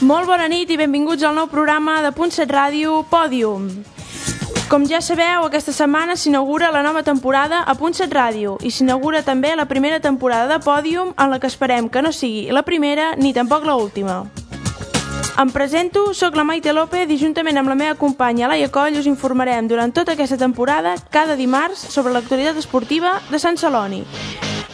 Molt bona nit i benvinguts al nou programa de Punt 7 Ràdio, Pòdium. Com ja sabeu, aquesta setmana s'inaugura la nova temporada a Punt 7 Ràdio i s'inaugura també la primera temporada de Pòdium, en la que esperem que no sigui la primera ni tampoc l'última. Em presento, soc la Maite López i juntament amb la meva companya Laia Coll us informarem durant tota aquesta temporada, cada dimarts, sobre l'actualitat esportiva de Sant Celoni.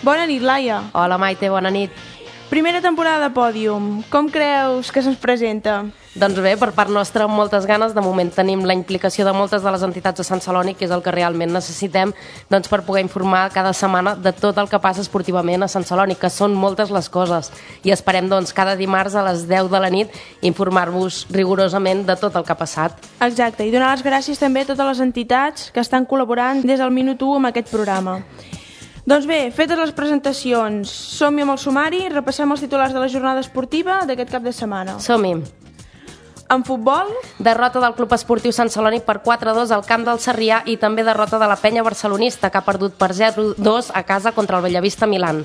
Bona nit, Laia. Hola, Maite, bona nit. Primera temporada de Pòdium. Com creus que se'ns presenta? Doncs bé, per part nostra, amb moltes ganes. De moment tenim la implicació de moltes de les entitats de Sant Celoni, que és el que realment necessitem per poder informar cada setmana de tot el que passa esportivament a Sant Celoni, que són moltes les coses. I esperem cada dimarts a les 10 de la nit informar-vos rigorosament de tot el que ha passat. Exacte, i donar les gràcies també a totes les entitats que estan col·laborant des del minut 1 amb aquest programa. Doncs bé, fetes les presentacions, som-hi amb el sumari, repassem els titulars de la jornada esportiva d'aquest cap de setmana. Som-hi. En futbol, derrota del Club Esportiu Sant Celoni per 4-2 al camp del Sarrià i també derrota de la Penya Barcelonista, que ha perdut per 0-2 a casa contra el Bellavista Milan.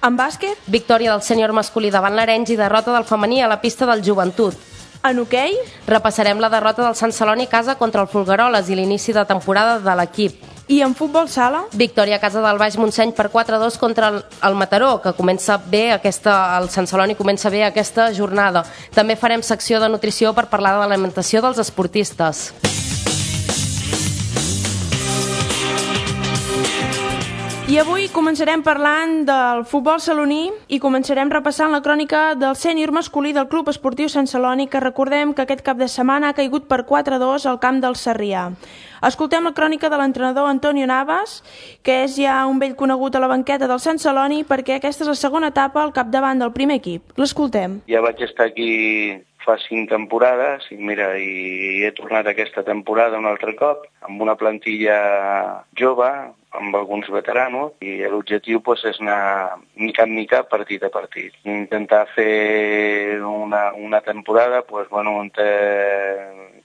En bàsquet, victòria del sènior masculí davant l'Arenys i derrota del femení a la pista del Joventut. En hoquei, repassarem la derrota del Sant Celoni a casa contra el Folgueroles i l'inici de temporada de l'equip. I en futbol sala, victòria a casa del Baix Montseny per 4-2 contra el Mataró, que comença bé el Sant Celoni comença bé aquesta jornada. També farem secció de nutrició per parlar de l'alimentació dels esportistes. I avui començarem parlant del futbol saloní i començarem repassant la crònica del sènior masculí del Club Esportiu Sant Celoni, que recordem que aquest cap de setmana ha caigut per 4-2 al camp del Sarrià. Escoltem la crònica de l'entrenador Antonio Navas, que és ja un vell conegut a la banqueta del Sant Celoni, perquè aquesta és la segona etapa al capdavant del primer equip. L'escoltem. Ja vaig estar aquí fa 5 temporades i he tornat aquesta temporada un altre cop amb una plantilla jove, amb alguns veteranos, i l'objectiu és anar mica en mica, partit a partit. Intentar fer una temporada on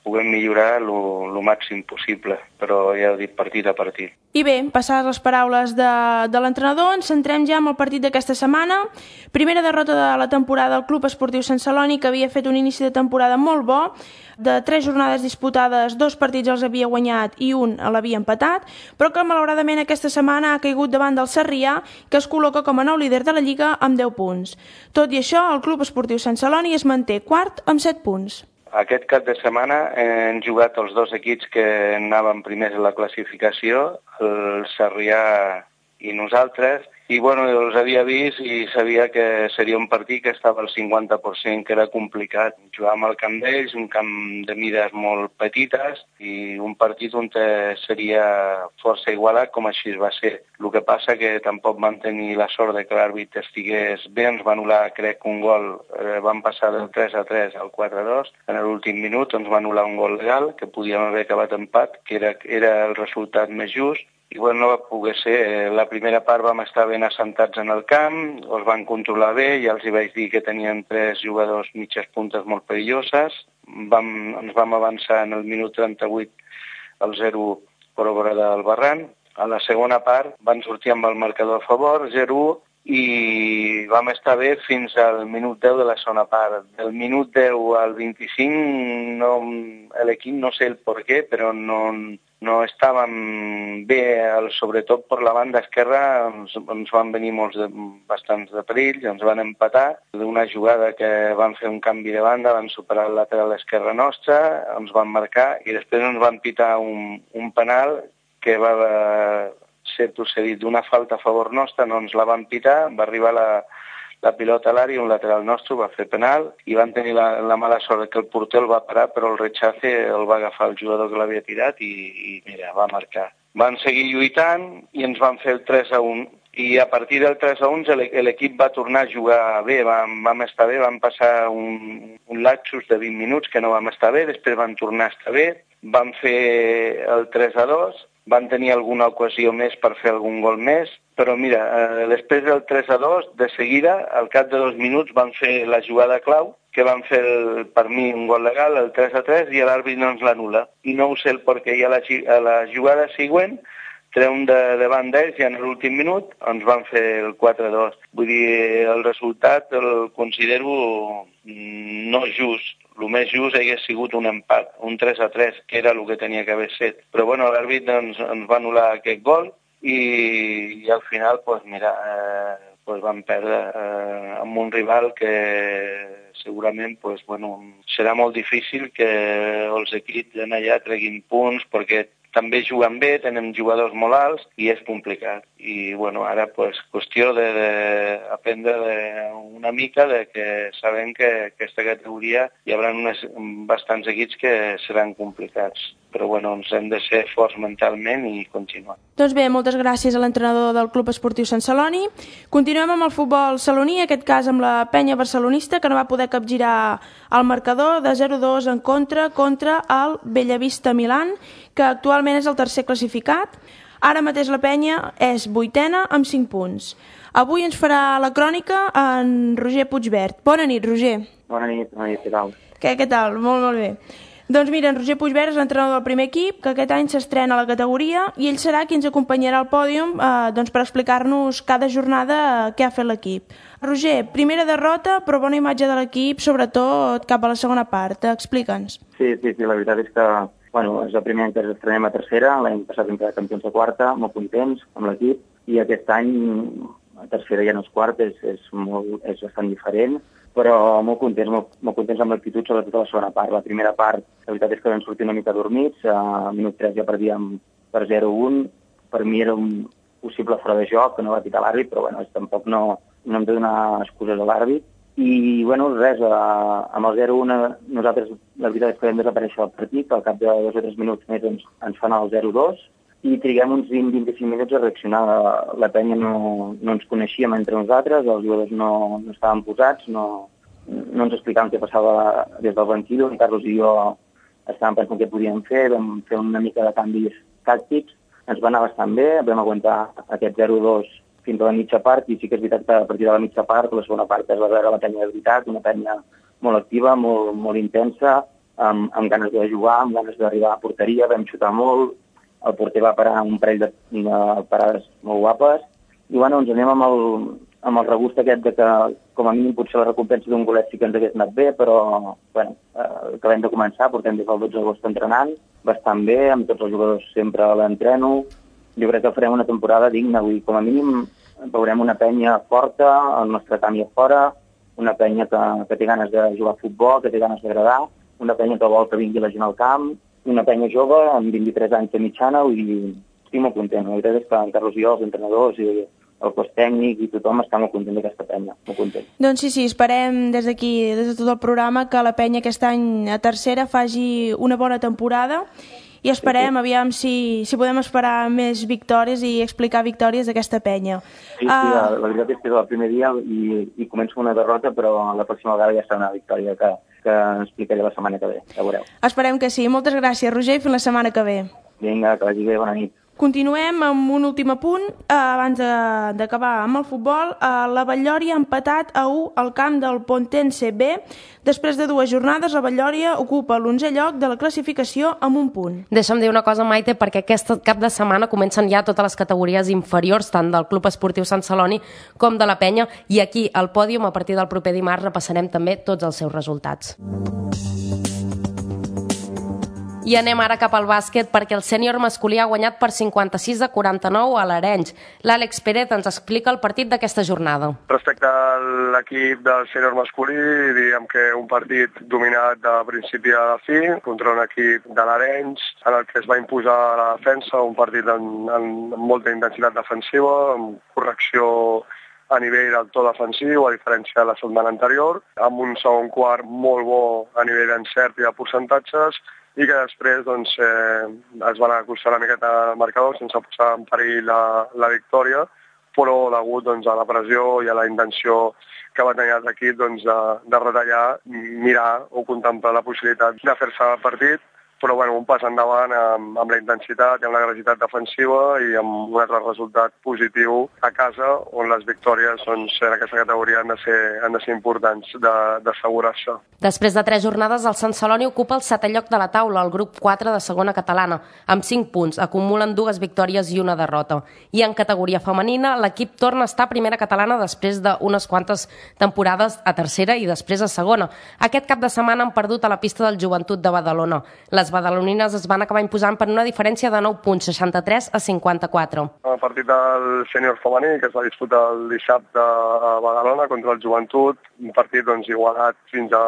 puguem millorar el màxim possible, però ja ho dic, partit a partit. I bé, passades les paraules de l'entrenador, ens centrem ja en el partit d'aquesta setmana. Primera derrota de la temporada del Club Esportiu Sant Celoni, que havia fet un inici de temporada molt bo. De 3 jornades disputades, 2 partits els havia guanyat i un l'havia empatat, però que malauradament aquesta setmana ha caigut davant del Sarrià, que es col·loca com a nou líder de la Lliga amb 10 punts. Tot i això, el Club Esportiu Sant Celoni es manté quart amb 7 punts. Aquest cap de setmana hem jugat els 2 equips que anaven primers a la classificació, el Sarrià i nosaltres, i els havia vist i sabia que seria un partit que estava al 50%, que era complicat. Jugàvem al camp d'ells, un camp de mides molt petites, i un partit on seria força igualat, com així va ser. El que passa que tampoc vam tenir la sort de que l'àrbitre estigués bé, ens va anul·lar, crec, un gol, vam passar del 3-3 al 4-2, en l'últim minut ens va anul·lar un gol legal, que podíem haver acabat empat, que era el resultat més just, i no va poder ser. La primera part vam estar ben assentats en el camp, els van controlar bé, ja els hi vaig dir que tenien 3 jugadors mitges puntes molt perilloses, ens vam avançar en el minut 38 al 0 per obra del Barran. A la segona part van sortir amb el marcador a favor, 0-1, i vam estar bé fins al minut 10 de la segona part. Del minut 10 al 25 l'equip no sé el per què, però no estàvem bé, sobretot per la banda esquerra ens van venir bastants de perill, ens van empatar d'una jugada que van fer un canvi de banda, van superar el lateral esquerra nostra, ens van marcar i després ens van pitar un penal que va ser procedit d'una falta a favor nostra, no ens la van pitar, va arribar la pilota a l'àrea, un lateral nostre va fer penal i van tenir la mala sort que el porter el va parar, però el rechace el va agafar el jugador que l'havia tirat i mira, va marcar. Van seguir lluitant i ens van fer el 3-1 i a partir del 3-1 l'equip va tornar a jugar bé, vam estar bé, vam passar un lapsus de 20 minuts que no vam estar bé, després van tornar a estar bé, van fer el 3-2, van tenir alguna ocasió més per fer algun gol més, però mira, després del 3-2, de seguida, al cap de 2 minuts, van fer la jugada clau, que van fer, per mi, un gol legal, el 3-3, i l'àrbit no ens l'anul·la. I no ho sé el perquè, i a la jugada següent treuen davant d'ells i en l'últim minut ens van fer el 4-2. Vull dir, el resultat el considero no just. El més just hagués sigut un empat, un 3-3, que era el que tenia que haver set. Però bueno, l'àrbit ens va anul·lar aquest gol i al final, vam perdre amb un rival que segurament serà molt difícil que els equips allà treguin punts perquè també juguen bé, tenen jugadors molt alts i és complicat. I ara qüestió d'aprendre una mica que sabem que aquesta categoria hi haurà bastants equips que seran complicats. Però ens hem de ser forts mentalment i continuar. Doncs bé, moltes gràcies a l'entrenador del Club Esportiu Sant Celoni. Continuem amb el futbol saloní, en aquest cas amb la penya barcelonista, que no va poder capgirar el marcador de 0-2 en contra el Bellavista Milan, que actualment és el tercer classificat. Ara mateix la penya és 8ena amb 5 punts. Avui ens farà la crònica en Roger Puigvert. Bona nit, Roger. Bona nit, què tal? Què tal? Molt bé. Doncs mira, en Roger Puigvert és l'entrenador del primer equip, que aquest any s'estrena a la categoria, i ell serà qui ens acompanyarà al pòdium per explicar-nos cada jornada què ha fet l'equip. Roger, primera derrota, però bona imatge de l'equip, sobretot cap a la segona part. Explica'ns. Sí, la veritat és que és el primer any que ens estrenem a tercera, l'any passat vam quedar campions de quarta, molt contents amb l'equip, i aquest any a tercera ja no és quart, és bastant diferent, però molt contents amb l'actitud, sobretot a la segona part. La primera part, la veritat és que vam sortir una mica dormits, a minut 3 ja perdíem per 0-1, per mi era un possible fora de joc, que no va pitar l'àrbit, però tampoc no hem de donar excuses a l'àrbit. I res, amb el 0-1 nosaltres la veritat és que vam desaparèixer del partit, al cap de 2 o 3 minuts més ens fan el 0-2, i triguem uns 20-25 minuts a reaccionar. La penya no ens coneixíem entre nosaltres, els jugadors no estaven posats, no ens explicaven què passava des del banquillo. En Carlos i jo estàvem pensant què podíem fer, vam fer una mica de canvis tàctics, ens va anar bastant bé, vam aguantar aquest 0-2 fins a la mitja part, i sí que és veritat que a partir de la mitja part, la segona part es va veure la penya de veritat, una penya molt activa, molt intensa, amb ganes de jugar, amb ganes d'arribar a porteria, vam xutar molt, el porter va parar un parell de parades molt guapes, i ens anem amb el regust aquest de que, com a mínim, potser la recompensa d'un golet sí que ens hagués anat bé, però, acabem de començar, portem des del 12 d'agost entrenant, bastant bé, amb tots els jugadors sempre a l'entreno. Jo crec que farem una temporada digna, com a mínim veurem una penya forta, el nostre camp i a fora, una penya que té ganes de jugar a futbol, que té ganes d'agradar, una penya que vol que vingui la gent al camp, una penya jove, amb 23 anys de mitjana, i estic molt content. La veritat és que en Carlos i jo, els entrenadors i el cos tècnic i tothom està molt content d'aquesta penya, molt content. Doncs sí, esperem des d'aquí, des de tot el programa, que la penya aquest any a tercera faci una bona temporada, i esperem, aviam si podem esperar més victòries i explicar victòries d'aquesta penya. Sí, la veritat és que és el primer dia i començo una derrota, però la pròxima vegada ja serà una victòria que explicaré la setmana que ve, ja veureu. Esperem que sí. Moltes gràcies, Roger, i fins la setmana que ve. Vinga, que vagi bé, bona nit. Continuem amb un últim apunt, abans d'acabar amb el futbol. La Batllòria ha empatat a 1 al camp del Pontense B. Després de 2 jornades, la Batllòria ocupa l'11è lloc de la classificació amb 1 punt. Deixa'm dir una cosa, Maite, perquè aquest cap de setmana comencen ja totes les categories inferiors, tant del Club Esportiu Sant Celoni com de la penya, i aquí al pòdium, a partir del proper dimarts, repassarem també tots els seus resultats. I anem ara cap al bàsquet, perquè el sènior masculí ha guanyat per 56-49 a l'Arenys. L'Àlex Pérez ens explica el partit d'aquesta jornada. Respecte a l'equip del sènior masculí, diríem que un partit dominat de principi a fi contra un equip de l'Arenys, en el que es va imposar la defensa, un partit amb molta intensitat defensiva, amb correcció a nivell del to defensiu, a diferència de la setmana anterior, amb un segon quart molt bo a nivell d'encert i de percentatges, i que després es van acostar una miqueta al marcador sense posar en perill la victòria, però degut a la pressió i a la intenció que va tenir l'equip de retallar, mirar o contemplar la possibilitat de fer-se el partit, però bueno, un pas endavant amb la intensitat i amb l'agressivitat defensiva i amb un altre resultat positiu a casa, on les victòries doncs, en aquesta categoria han de ser importants d'assegurar-se. Després de 3 jornades, el Sant Celoni ocupa el 7è lloc de la taula, el grup 4 de segona catalana, amb 5 punts, acumulen 2 victòries i 1 derrota. I en categoria femenina, l'equip torna a estar a primera catalana després d'unes quantes temporades a tercera i després a segona. Aquest cap de setmana han perdut a la pista del Joventut de Badalona. Les badalonines es van acabar imposant per una diferència de 9 punts, 63 a 54. El partit del sènior femení, que es va disputar el dissabte a Badalona contra el Joventut, un partit doncs, igualat fins a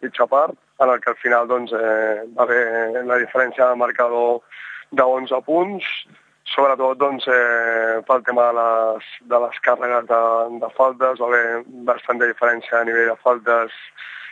mitja part, en el que al final doncs, va haver la diferència de marcador de 11 punts, sobretot doncs, pel tema de les càrregues de faltes, va haver bastanta diferència a nivell de faltes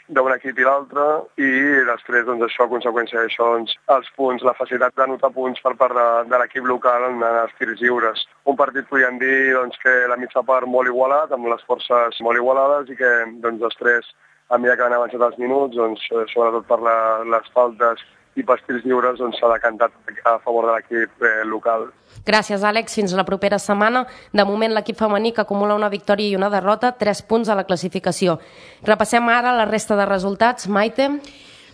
d'un equip i l'altre, i després doncs, això, a conseqüència d'això, doncs, els punts, la facilitat d'anotar punts per part de l'equip local en els tirs lliures. Un partit podríem dir doncs, que la mitja part molt igualat, amb les forces molt igualades, i que doncs, després, a mesura que han avançat els minuts, doncs, sobretot per les faltes i pels tirs lliures, doncs, s'ha decantat a favor de l'equip local. Gràcies, Àlex. Fins la propera setmana. De moment, l'equip femení, que acumula una victòria i una derrota, 3 punts a la classificació. Repassem ara la resta de resultats. Maite?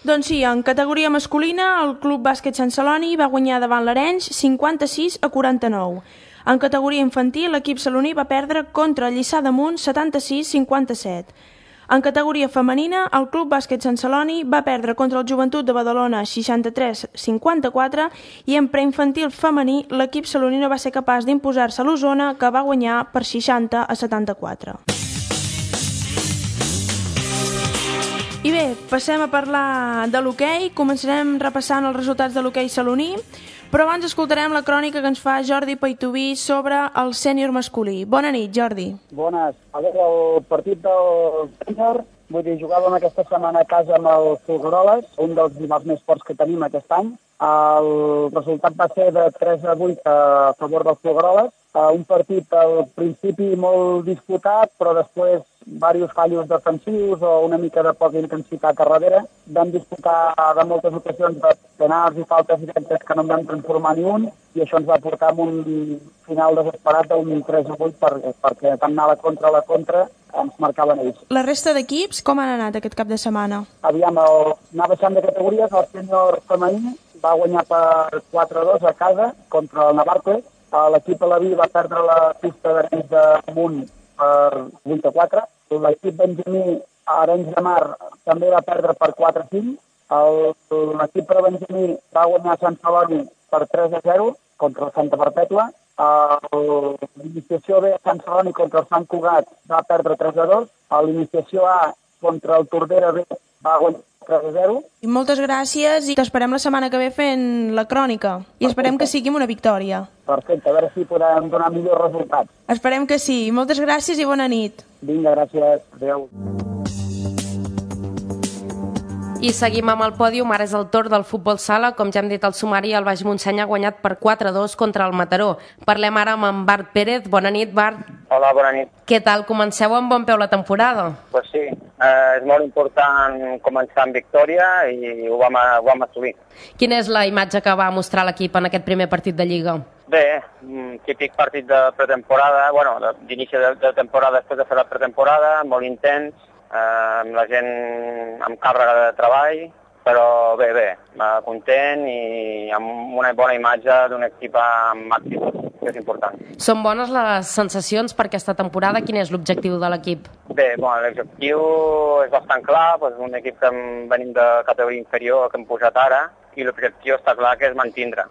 Doncs sí, en categoria masculina, el Club Bàsquet Sant Celoni va guanyar davant l'Arenys 56 a 49. En categoria infantil, l'equip saloní va perdre contra el Lliçà d'Amunt 76-57. En categoria femenina, el Club Bàsquet Sant Celoni va perdre contra el Joventut de Badalona 63-54 i en preinfantil femení l'equip saloní no va ser capaç d'imposar-se a l'Osona, que va guanyar per 60-74. I bé, passem a parlar de l'hoquei. Començarem repassant els resultats de l'hoquei saloní, però abans escoltarem la crònica que ens fa Jordi Paitubí sobre el sènior masculí. Bona nit, Jordi. Bones. A veure, el partit del sènior, vull dir, jugàvem aquesta setmana a casa amb el Folgueroles, un dels rivals més forts que tenim aquest any. El resultat va ser de 3-8 a favor del Folgueroles. Un partit al principi molt disputat, però després diversos fallos defensius o una mica de poca intensitat a darrere. Vam disputar de moltes ocasions de penals i faltes directes que no en vam transformar ni un, i això ens va portar a un final desesperat d'un 3-8 perquè tant anar a la contra ens marcaven ells. La resta d'equips com han anat aquest cap de setmana? Aviam, anar baixant de categories, el sènior femení va guanyar per 4-2 a casa contra el Navarcles. L'equip Alaví va perdre la pista d'Arenys d'Amunt per 8-4. L'equip benjamí Arenys de Mar també va perdre per 4-5. L'equip prebenjamí va guanyar Sant Celoni per 3-0 contra el Santa Perpètua. L'iniciació B Sant Celoni contra el Sant Cugat va perdre 3-2. L'iniciació A contra el Tordera B va guanyar 3-0. I moltes gràcies i t'esperem la setmana que ve fent la crònica. I esperem que sigui una victòria. Perfecte, a veure si podem donar millors resultats. Esperem que sí. Moltes gràcies i bona nit. Vinga, gràcies. Adéu. I seguim amb el pòdium. Ara és el torn del futbol sala. Com ja hem dit al sumari, el Baix Montseny ha guanyat per 4-2 contra el Mataró. Parlem ara amb en Bart Pérez. Bona nit, Bart. Hola, bona nit. Què tal? Comenceu amb bon peu la temporada? Pues sí, és molt important començar amb victòria i ho vam assolir. Quina és la imatge que va mostrar l'equip en aquest primer partit de Lliga? Bé, típic partit de pretemporada, d'inici de temporada després de fer la pretemporada, molt intens, amb la gent amb càrrega de treball, però bé, content i amb una bona imatge d'un equip amb actitud, que és important. Són bones les sensacions per aquesta temporada? Quin és l'objectiu de l'equip? Bé, l'objectiu és bastant clar, un equip que venim de categoria inferior que hem pujat ara, i l'objectiu està clar que és mantindre.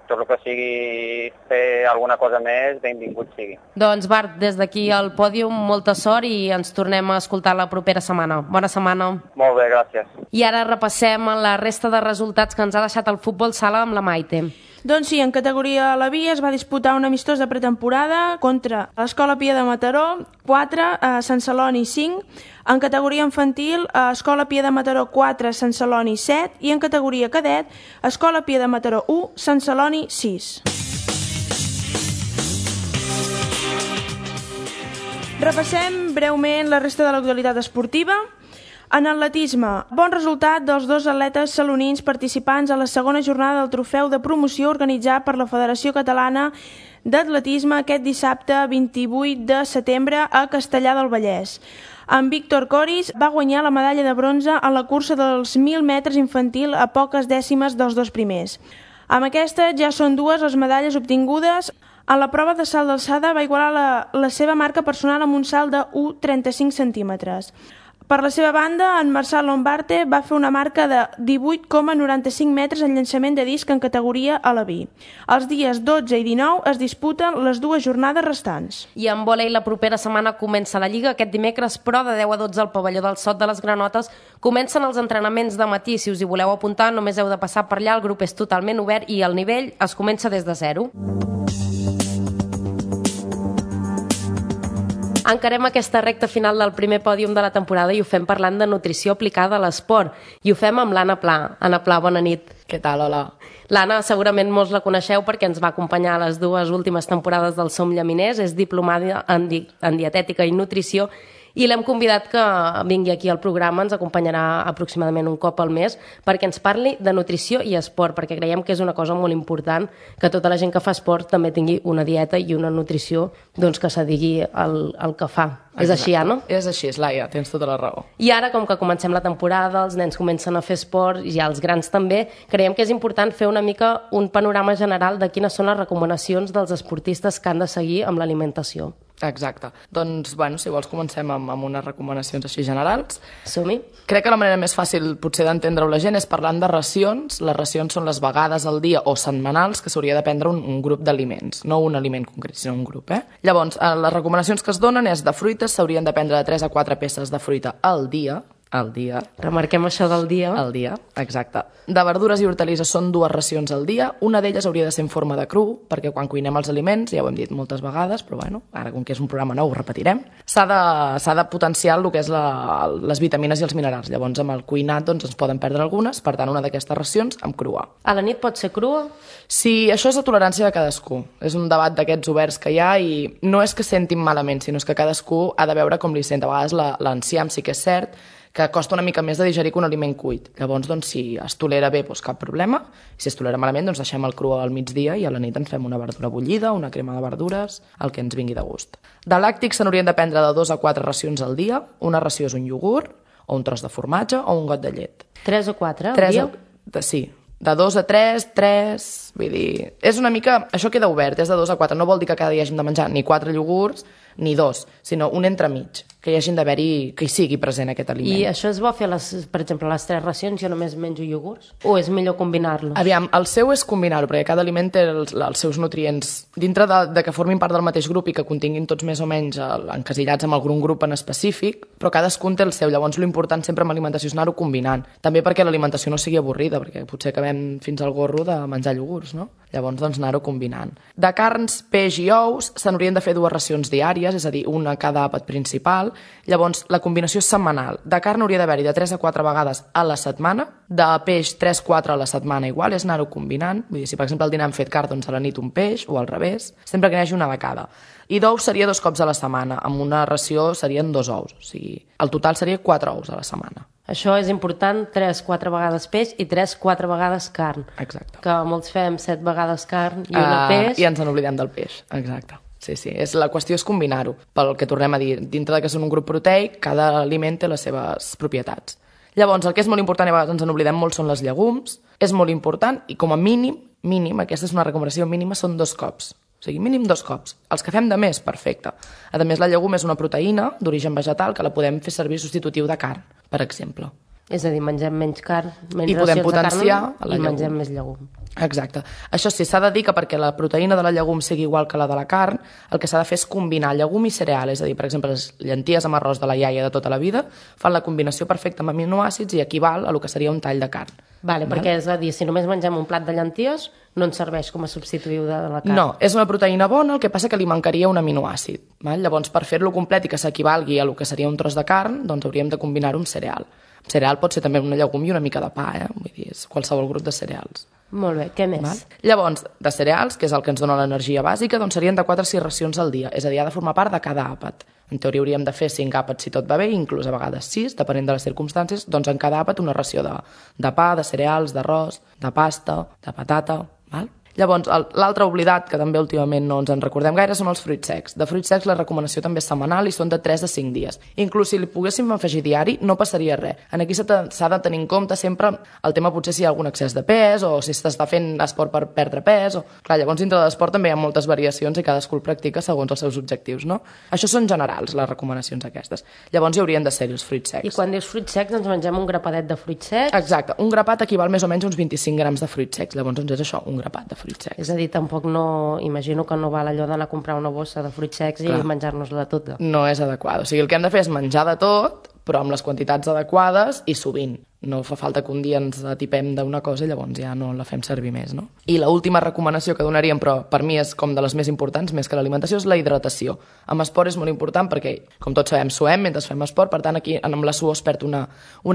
Tot el que sigui fer alguna cosa més, benvingut sigui. Doncs Bart, des d'aquí al pòdium, molta sort i ens tornem a escoltar la propera setmana. Bona setmana. Molt bé, gràcies. I ara repassem la resta de resultats que ens ha deixat el futbol sala amb la Maite. Doncs sí, en categoria Alaví es va disputar un amistós de pretemporada contra l'Escola Pia de Mataró, 4, Sant Celoni 5, en categoria infantil, Escola Pia de Mataró 4, Sant Celoni 7, i en categoria cadet, Escola Pia de Mataró 1, Sant Celoni 6. Repassem breument la resta de l'actualitat esportiva. En atletisme, bon resultat dels 2 atletes salonins participants a la segona jornada del trofeu de promoció organitzat per la Federació Catalana d'Atletisme aquest dissabte 28 de setembre a Castellar del Vallès. En Víctor Coris va guanyar la medalla de bronze en la cursa dels 1.000 metres infantil a poques dècimes dels 2 primers. Amb aquesta ja són 2 les medalles obtingudes. En la prova de salt d'alçada va igualar la seva marca personal amb un salt de 1,35 centímetres. Per la seva banda, en Marçal Lombarte va fer una marca de 18,95 metres en llançament de disc en categoria alabí. Els dies 12 i 19 es disputen les 2 jornades restants. I en vòlei la propera setmana comença la Lliga aquest dimecres, però de 10 a 12 al pavelló del Sot de les Granotes comencen els entrenaments de matí. Si us hi voleu apuntar, només heu de passar per allà, el grup és totalment obert i el nivell es comença des de 0. Encarem aquesta recta final del primer pòdium de la temporada i ho fem parlant de nutrició aplicada a l'esport. I ho fem amb l'Anna Pla. Anna Pla, bona nit. Què tal? Hola. L'Anna segurament molts la coneixeu perquè ens va acompanyar a les 2 últimes temporades del Som Llaminers, és diplomada en dietètica i nutrició i l'hem convidat que vingui aquí al programa, ens acompanyarà aproximadament un cop al mes perquè ens parli de nutrició i esport, perquè creiem que és una cosa molt important que tota la gent que fa esport també tingui una dieta i una nutrició doncs, que s'adigui al que fa. Exacte. És així, Anna? És així, Laia, tens tota la raó. I ara, com que comencem la temporada, els nens comencen a fer esport i els grans també, creiem que és important fer una mica un panorama general de quines són les recomanacions dels esportistes que han de seguir amb l'alimentació. Exacte. Doncs, bueno, si vols comencem amb unes recomanacions així generals. Som-hi. Crec que la manera més fàcil potser d'entendre-ho la gent és parlant de racions. Les racions són les vegades al dia o setmanals que s'hauria de prendre un grup d'aliments, no un aliment concret, sinó un grup. Llavors, les recomanacions que es donen és de fruites, s'haurien de prendre de 3 a 4 peces de fruita al dia. Remarquem això del dia. Al dia, exacte. De verdures i hortalisses són 2 racions al dia. Una d'elles hauria de ser en forma de cru, perquè quan cuinem els aliments, ja ho hem dit moltes vegades, però bueno, ara com que és un programa nou ho repetirem, s'ha de potenciar el que és les vitamines i els minerals. Llavors amb el cuinat doncs, ens poden perdre algunes, per tant una d'aquestes racions amb crua. A la nit pot ser crua? Sí, això és la tolerància de cadascú. És un debat d'aquests oberts que hi ha i no és que sentin malament, sinó que cadascú ha de veure com li sent. A vegades l'enciam sí que és cert que costa una mica més de digerir que un aliment cuit. Llavors, doncs, si es tolera bé, doncs cap problema. I si es tolera malament, doncs deixem el cru al migdia i a la nit ens fem una verdura bullida, una crema de verdures, el que ens vingui de gust. De làctics se n'haurien de prendre de 2 a 4 racions al dia. Una ració és un iogurt, o un tros de formatge, o un got de llet. 3 o 4 al dia? Sí. De 2 a 3, vull dir... És una mica... Això queda obert, és de 2 a 4. No vol dir que cada dia hàgim de menjar ni 4 iogurts ni 2, sinó un entremig, que hi hagin d'haver-hi, que hi sigui present aquest aliment. I això es vol fer, per exemple, les 3 racions, jo només menjo iogurts? O és millor combinar-los? Aviam, el seu és combinar-ho, perquè cada aliment té els seus nutrients. Dintre de que formin part del mateix grup i que continguin tots més o menys encasillats amb algun grup en específic, però cadascun té el seu. Llavors, l'important sempre amb l'alimentació és anar-ho combinant. També perquè l'alimentació no sigui avorrida, perquè potser acabem fins al gorro de menjar iogurts, no? Llavors, doncs, anar-ho combinant. De carns, peix i ous, se n'haurien de fer 2 racions diàries, és a dir, una a cada àpat principal. Llavors, la combinació és setmanal. De carn hauria d'haver-hi de 3 a 4 vegades a la setmana, de peix 3-4 a la setmana igual, és anar-ho combinant. Vull dir, si per exemple al dinar hem fet carn, doncs a la nit un peix, o al revés, sempre que n'hi hagi una de cada. I d'ous seria 2 cops a la setmana, amb una ració serien 2 ous, o sigui, el total seria 4 ous a la setmana. Això és important, 3-4 vegades peix i 3-4 vegades carn. Exacte. Que molts fem 7 vegades carn i una peix. I ens n'oblidem del peix, exacte. Sí, la qüestió és combinar-ho. Pel que tornem a dir, dintre de que són un grup proteic, cada aliment té les seves propietats. Llavors, el que és molt important, i a vegades ens n'oblidem molt, són les llegums. És molt important i com a mínim, aquesta és una recomanació mínima, són 2 cops. O sigui, mínim 2 cops. Els que fem de més, perfecte. A més, la llegum és una proteïna d'origen vegetal que la podem fer servir substitutiu de carn, per exemple. És a dir, mengem menys carn, menys i podem potenciar de carn i mengem més llegum. Exacte. Això sí, s'ha de dir que perquè la proteïna de la llegum sigui igual que la de la carn, el que s'ha de fer és combinar llegum i cereal, és a dir, per exemple, les llenties amb arròs de la iaia de tota la vida fan la combinació perfecta amb aminoàcids i equival a el que seria un tall de carn. Vale, perquè és a dir, si només mengem un plat de llenties, no ens serveix com a substitutiu de la carn. No, és una proteïna bona, el que passa que li mancaria un aminoàcid. Val? Llavors, per fer-lo complet i que s'equivalgui a el que seria un tros de carn, doncs hauríem de combinar-ho amb cereal. Cereal pot ser també una llegum i una mica de pa, vull dir, és qualsevol grup de cereals. Molt bé, què més? Val? Llavors, de cereals, que és el que ens dona l'energia bàsica, doncs serien de 4 a 6 racions al dia, és a dir, ha de formar part de cada àpat. En teoria hauríem de fer 5 àpats si tot va bé, inclús a vegades 6, depenent de les circumstàncies, doncs en cada àpat una ració de pa, de cereals, d'arròs, de pasta, de patata, val? Llavors, l'altre oblidat, que també últimament no ens en recordem gaire, són els fruits secs. De fruits secs la recomanació també és setmanal i són de 3 a 5 dies. Inclús si li poguéssim afegir diari, no passaria res. Aquí s'ha de tenir en compte sempre el tema potser si hi ha algun excés de pes o si s'està fent esport per perdre pes. Clar, llavors dintre de l'esport també hi ha moltes variacions i cadascú el practica segons els seus objectius, no? Això són generals, les recomanacions aquestes. Llavors hi haurien de ser els fruits secs. I quan dius fruits secs ens mengem un grapadet de fruits secs? Exacte, un grapat equival més o menys a uns 25 grams de fruits secs. Llavors doncs és això, un grapat de fruits secs. És a dir, tampoc no... Imagino que no val allò d'anar a comprar una bossa de fruits secs i menjar-nos-la tota. No és adequat. O sigui, el que hem de fer és menjar de tot, però amb les quantitats adequades i sovint. No fa falta que un dia ens atipem d'una cosa i llavors ja no la fem servir més, no? I l'última recomanació que donaríem, però per mi és com de les més importants, més que l'alimentació, és la hidratació. Amb esport és molt important perquè, com tots sabem, suem mentre fem esport, per tant aquí amb la suor es perd una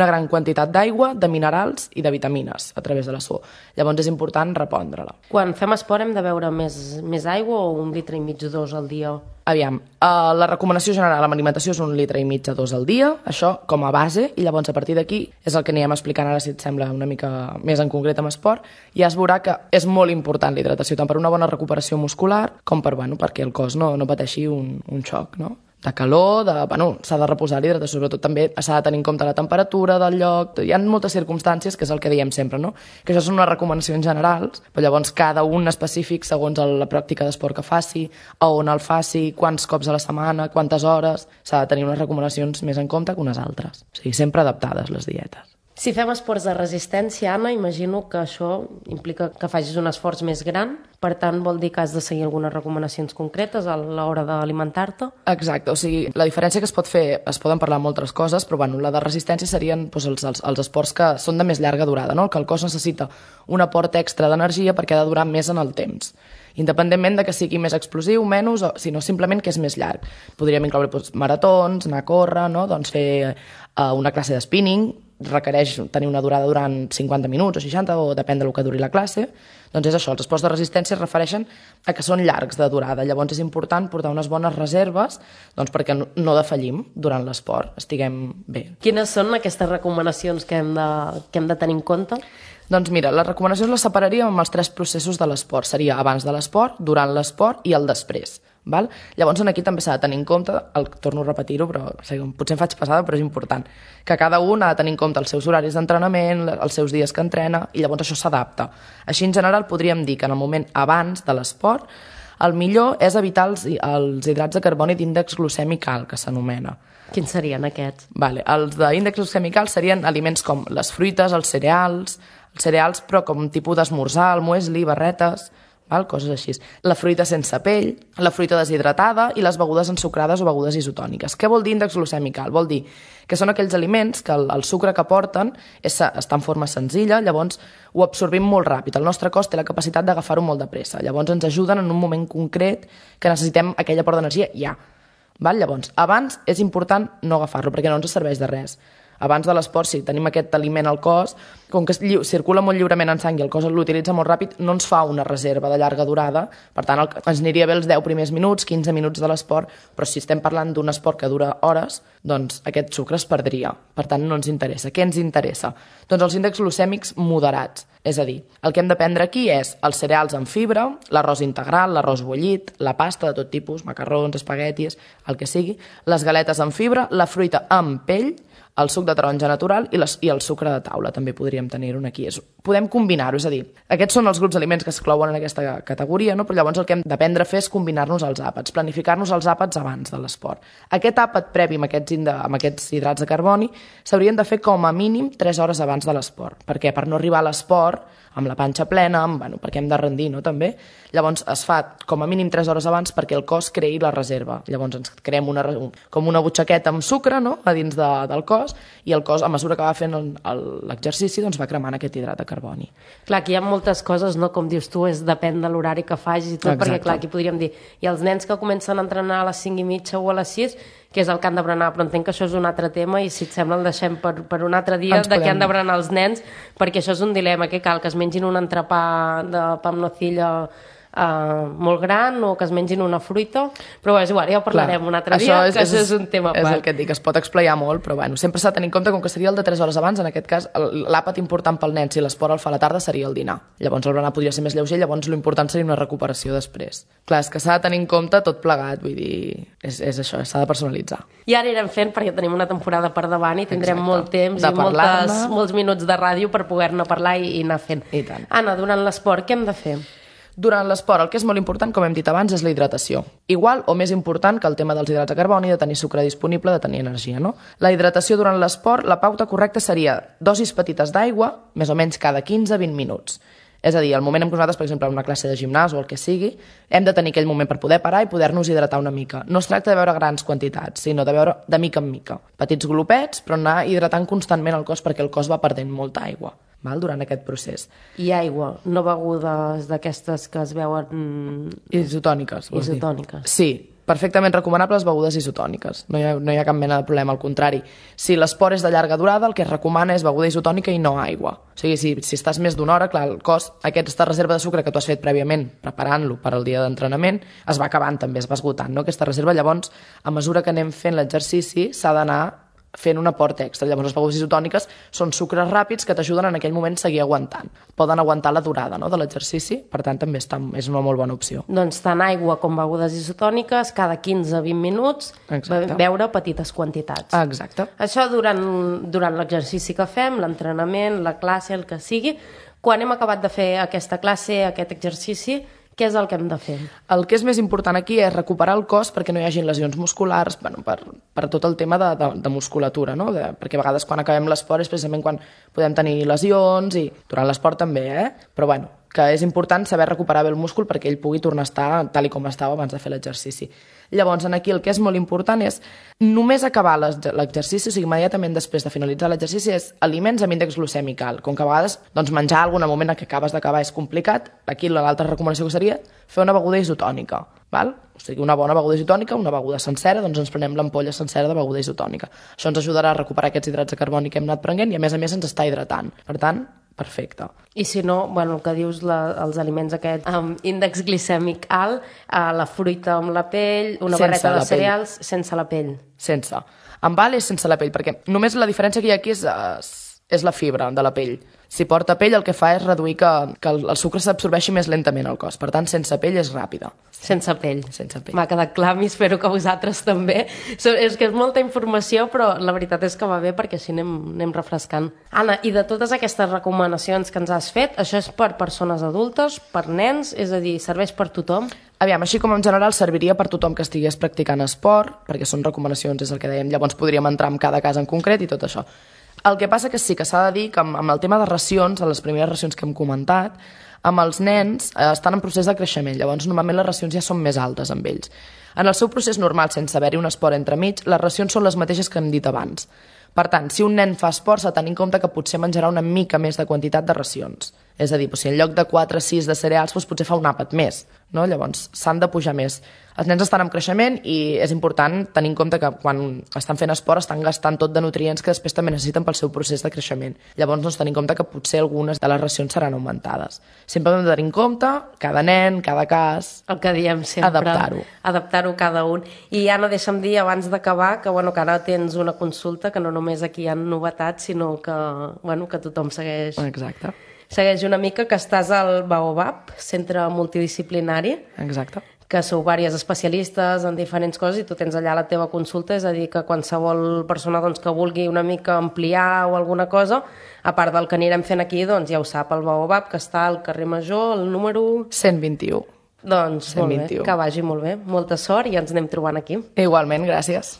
gran quantitat d'aigua, de minerals i de vitamines a través de la suor. Llavors és important repondre-la. Quan fem esport hem de beure més aigua o 1,5 litres, 2 al dia? Aviam, la recomanació general amb alimentació és 1,5 litres a 2 al dia, això com a base, i llavors a partir d'aquí és el que anirem explicant ara, si et sembla, una mica més en concret amb esport, ja es veurà que és molt important la hidratació, tant per una bona recuperació muscular com perquè el cos no pateixi un xoc, no? De calor, s'ha de reposar l'hidratació, sobretot també s'ha de tenir en compte la temperatura del lloc, hi ha moltes circumstàncies, que és el que diem sempre, no? Que això són unes recomanacions generals, però llavors cada un específic segons la pràctica d'esport que faci, a on el faci, quants cops a la setmana, quantes hores, s'ha de tenir unes recomanacions més en compte que unes altres. O sigui, sempre adaptades les dietes. Si fem esports de resistència, Anna, imagino que això implica que facis un esforç més gran, per tant vol dir que has de seguir algunes recomanacions concretes a l'hora d'alimentar-te? Exacte, o sigui, la diferència que es pot fer, es poden parlar moltes coses, però la de resistència serien els esports que són de més llarga durada, no? Que el cos necessita un aport extra d'energia perquè ha de durar més en el temps, independentment de que sigui més explosiu, menys, sinó simplement que és més llarg. Podríem incloure maratons, anar a córrer, no? Doncs fer una classe de spinning, requereix tenir una durada durant 50 minuts o 60, o depèn del que duri la classe. Doncs és això, els esports de resistència es refereixen a que són llargs de durada, llavors és important portar unes bones reserves perquè no defallim durant l'esport, estiguem bé. Quines són aquestes recomanacions que hem de tenir en compte? Doncs mira, les recomanacions les separaríem amb els 3 processos de l'esport. Seria abans de l'esport, durant l'esport i el després. Val? Llavors aquí també s'ha de tenir en compte, torno a repetir-ho, però potser em faig passada, però és important, que cada un ha de tenir en compte els seus horaris d'entrenament, els seus dies que entrena, i llavors això s'adapta. Així en general podríem dir que en el moment abans de l'esport el millor és evitar els hidrats de carboni d'índex glucèmic alt, que s'anomena. Quins serien aquests? Els d'índex glucèmic alt serien aliments com les fruites, els cereals però com tipus d'esmorzar, el muesli, barretes, coses així. La fruita sense pell, la fruita deshidratada i les begudes ensucrades o begudes isotòniques. Què vol dir índex glucèmic alt? Vol dir que són aquells aliments que el sucre que porten està en forma senzilla, llavors ho absorbim molt ràpid. El nostre cos té la capacitat d'agafar-ho molt de pressa. Llavors ens ajuden en un moment concret que necessitem aquell aport d'energia ja. Llavors, abans és important no agafar-lo perquè no ens serveix de res. Abans de l'esport, si tenim aquest aliment al cos, com que circula molt lliurement en sang i el cos l'utilitza molt ràpid, no ens fa una reserva de llarga durada, per tant ens aniria bé els 10 primers minuts, 15 minuts de l'esport, però si estem parlant d'un esport que dura hores, doncs aquest sucre es perdria, per tant no ens interessa. Què ens interessa? Doncs els índexs glucèmics moderats, és a dir, el que hem de prendre aquí és els cereals amb fibra, l'arròs integral, l'arròs bullit, la pasta de tot tipus, macarrons, espaguetis, el que sigui, les galetes amb fibra, la fruita amb pell, el suc de taronja natural i el sucre de taula, també podríem tenir-ho aquí. Podem combinar-ho, és a dir, aquests són els grups d'aliments que es clouen en aquesta categoria, no? Però llavors el que hem d'aprendre a fer és combinar-nos els àpats, planificar-nos els àpats abans de l'esport. Aquest àpat previ amb aquests hidrats de carboni s'haurien de fer com a mínim 3 hores abans de l'esport. Per què? Per no arribar a l'esport amb la panxa plena, perquè hem de rendir, no? També. Llavors es fa com a mínim 3 hores abans perquè el cos creï la reserva. Llavors ens creem com una butxaqueta amb sucre, no? A dins del cos, i el cos, a mesura que va fent l'exercici, doncs va cremant aquest hidrat de carboni. Clar, aquí hi ha moltes coses, no? Com dius tu, depèn de l'horari que facis i tot, perquè clar, aquí podríem dir, i els nens que comencen a entrenar a les 5:30 o a les 6, que és el que han de berenar, però entenc que això és un altre tema i si et sembla el deixem per un altre dia de què han de berenar els nens, perquè això és un dilema, que cal que es mengin un entrepà de pa amb nocilla molt gran o que es mengin una fruita, però és igual, ja ho parlarem un altre dia, que això és un tema a part. És el que et dic, es pot explayar molt, però bueno, sempre s'ha de tenir en compte, com que seria el de 3 hores abans, en aquest cas l'àpat important pel nen, si l'esport el fa a la tarda, seria el dinar. Llavors el berenar podria ser més lleuger, llavors l'important seria una recuperació després. Clar, és que s'ha de tenir en compte tot plegat, vull dir, és això, s'ha de personalitzar. I ara anirem fent, perquè tenim una temporada per davant i tindrem molt temps i molts minuts de ràdio per poder-ne parlar i anar fent. I tant. Anna, durant l'esport, què hem de fer? Durant l'esport, el que és molt important, com hem dit abans, és la hidratació. Igual o més important que el tema dels hidrats de carboni, de tenir sucre disponible, de tenir energia, no? La hidratació durant l'esport, la pauta correcta seria dosis petites d'aigua, més o menys cada 15-20 minuts. És a dir, el moment en què nosaltres, per exemple, en una classe de gimnàs o el que sigui, hem de tenir aquell moment per poder parar i poder-nos hidratar una mica. No es tracta de beure grans quantitats, sinó de beure de mica en mica. Petits glopets, però anar hidratant constantment el cos perquè el cos va perdent molta aigua durant aquest procés. I aigua, no begudes d'aquestes que es veuen... Isotòniques. Isotòniques. Sí, perfectament recomanables begudes isotòniques. No hi ha cap mena de problema, al contrari. Si l'esport és de llarga durada, el que es recomana és beguda isotònica i no aigua. O sigui, si estàs més d'una hora, clar, el cos, aquesta reserva de sucre que tu has fet prèviament, preparant-lo per al dia d'entrenament, es va acabant també, es va esgotant, no? Aquesta reserva, llavors, a mesura que anem fent l'exercici, s'ha d'anar fent un aport extra. Llavors, les begudes isotòniques són sucres ràpids que t'ajuden en aquell moment a seguir aguantant. Poden aguantar la durada, no?, de l'exercici, per tant, també és una molt bona opció. Doncs tant aigua com begudes isotòniques, cada 15-20 minuts, beure petites quantitats. Exacte. Això durant l'exercici que fem, l'entrenament, la classe, el que sigui. Quan hem acabat de fer aquesta classe, aquest exercici, què és el que hem de fer? El que és més important aquí és recuperar el cos perquè no hi hagin lesions musculars, per tot el tema de musculatura, no? Perquè a vegades quan acabem l'esport és precisament quan podem tenir lesions i durant l'esport també, però bueno, que és important saber recuperar bé el múscul perquè ell pugui tornar a estar tal com estava abans de fer l'exercici. Llavors, aquí el que és molt important és només acabar l'exercici, o sigui, immediatament després de finalitzar l'exercici, és aliments amb índex glucèmic alt. Com que a vegades menjar alguna moment en què acabes d'acabar és complicat, aquí l'altra recomanació que seria fer una beguda isotònica. O sigui, una bona beguda isotònica, una beguda sencera, doncs ens prenem l'ampolla sencera de beguda isotònica. Això ens ajudarà a recuperar aquests hidrats de carboni que hem anat prenent i a més ens està hidratant. Per tant, perfecte. I si no, el que dius, els aliments aquests amb índex glicèmic alt, la fruita amb la pell, una barreta de cereals sense la pell. Sense. Amb alt és sense la pell, perquè només la diferència que hi ha aquí és la fibra de la pell. Si porta pell el que fa és reduir que el sucre s'absorbeixi més lentament al cos. Per tant, sense pell és ràpida. Sense pell. Sense pell. M'ha quedat clar, i espero que vosaltres també. És que és molta informació, però la veritat és que va bé perquè així anem refrescant. Anna, i de totes aquestes recomanacions que ens has fet, això és per persones adultes, per nens, és a dir, serveix per tothom? Aviam, així com en general serviria per tothom que estigués practicant esport, perquè són recomanacions, és el que dèiem, llavors podríem entrar en cada cas en concret i tot això. El que passa que sí que s'ha de dir que amb el tema de racions, a les primeres racions que hem comentat, amb els nens estan en procés de creixement, llavors normalment les racions ja són més altes amb ells. En el seu procés normal, sense haver-hi un esport entremig, les racions són les mateixes que hem dit abans. Per tant, si un nen fa esport, s'ha de tenir en compte que potser menjarà una mica més de quantitat de racions. És a dir, si en lloc de 4 o 6 de cereals, potser fa un àpat més. Llavors, s'han de pujar més. Els nens estan en creixement i és important tenir en compte que quan estan fent esport estan gastant tot de nutrients que després també necessiten pel seu procés de creixement. Llavors, tenir en compte que potser algunes de les racions seran augmentades. Sempre hem de tenir en compte cada nen, cada cas... El que diem sempre. Adaptar-ho. Adaptar-ho cada un. I ja no deixa'm dir, abans d'acabar, que ara tens una consulta, que no només aquí hi ha novetats, sinó que tothom segueix... Exacte. Segueix una mica, que estàs al Baobab, centre multidisciplinari. Exacte. Que sou diversos especialistes en diferents coses i tu tens allà la teva consulta, és a dir, que qualsevol persona que vulgui una mica ampliar o alguna cosa, a part del que anirem fent aquí, ja ho sap, el Baobab, que està al carrer Major, el número... 121. Doncs 121. Molt bé, que vagi molt bé. Molta sort i ens anem trobant aquí. Igualment, gràcies.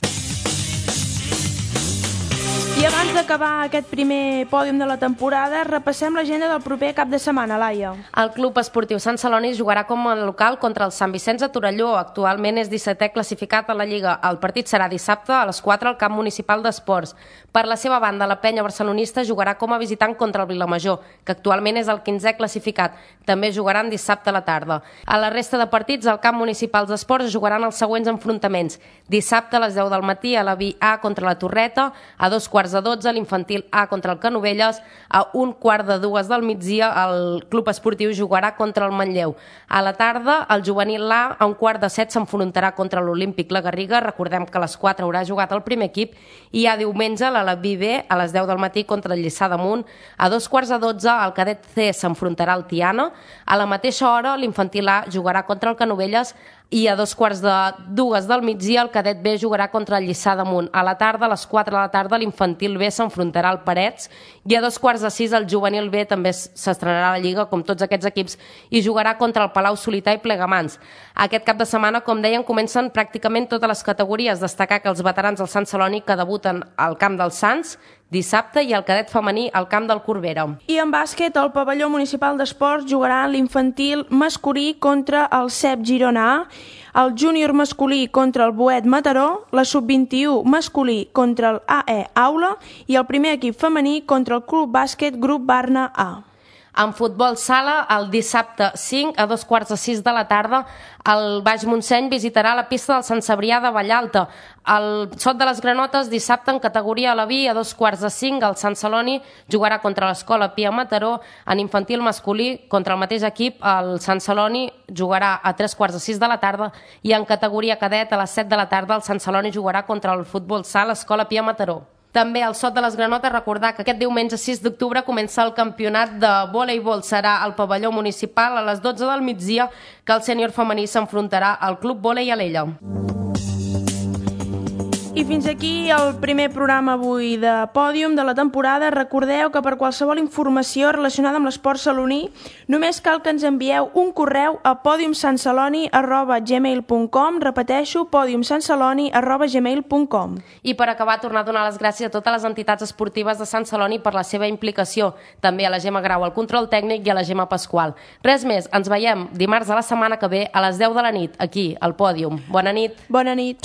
I I abans d'acabar aquest primer pòdium de la temporada, repassem l'agenda del proper cap de setmana, Laia. El Club Esportiu Sant Celoni jugarà com a local contra el Sant Vicenç de Torelló. Actualment és 17è classificat a la Lliga. El partit serà dissabte a les 4 al Camp Municipal d'Esports. Per la seva banda, la penya barcelonista jugarà com a visitant contra el Vilamajor, que actualment és el 15è classificat. També jugaran dissabte a la tarda. A la resta de partits, al Camp Municipal d'Esports jugaran els següents enfrontaments. Dissabte a les 10 del matí a la Vi A contra la Torreta, a 2:15 l'infantil A contra el Canovelles, a 1:45 del migdia el Club Esportiu jugarà contra el Manlleu. A la tarda el juvenil A a 1:45 s'enfrontarà contra l'Olímpic La Garriga. Recordem que a les 4 haurà jugat el primer equip i a diumenge la Vi B a les 10 del matí contra el Lliçà d'Amunt. A 2:15 el cadet C s'enfrontarà al Tiana. A la mateixa hora l'infantil A jugarà contra el Canovelles i a 2:45 del migdia el cadet B jugarà contra el Lliçà d'Amunt. A la tarda, a les 4 de la tarda, l'infantil B s'enfrontarà al Parets i a 2:45 el juvenil B també s'estrenarà a la Lliga, com tots aquests equips, i jugarà contra el Palau Solità i Plegamans. Aquest cap de setmana, com deien, comencen pràcticament totes les categories. Destacar que els veterans del Sant Celoni que debuten al Camp dels Sants dissabte i el cadet femení al Camp del Corbera. I en bàsquet, el pavelló municipal d'esports jugarà l'infantil masculí contra el CEP Girona A, el júnior masculí contra el Boet Mataró, la sub-21 masculí contra el AE Aula i el primer equip femení contra el Club Bàsquet Grup Barna A. En futbol sala, el dissabte 5 a 2:15 de la tarda, el Baix Montseny visitarà la pista del Sant Cebrià de Vallalta. El Sot de les Granotes, dissabte en categoria a la Vi, a 2:15, el Sant Celoni jugarà contra l'Escola Pia Mataró. En infantil masculí, contra el mateix equip, el Sant Celoni jugarà a 3:15 de la tarda i en categoria cadet, a les 7 de la tarda, el Sant Celoni jugarà contra el futbol sala Escola Pia Mataró. També al Sot de les Granotes, recordar que aquest diumenge 6 d'octubre comença el campionat de voleibol. Serà al pavelló municipal a les 12 del migdia que el sènior femení s'enfrontarà al Club Vòlei Alella. I fins aquí el primer programa avui de Pòdium de la temporada. Recordeu que per qualsevol informació relacionada amb l'esport saloní només cal que ens envieu un correu a podiumsantceloni@gmail.com. Repeteixo, podiumsantceloni@gmail.com. I per acabar, tornar a donar les gràcies a totes les entitats esportives de Sant Celoni per la seva implicació. També a la Gemma Grau, al control tècnic, i a la Gemma Pasqual. Res més, ens veiem dimarts de la setmana que ve a les 10 de la nit, aquí, al Pòdium. Bona nit. Bona nit.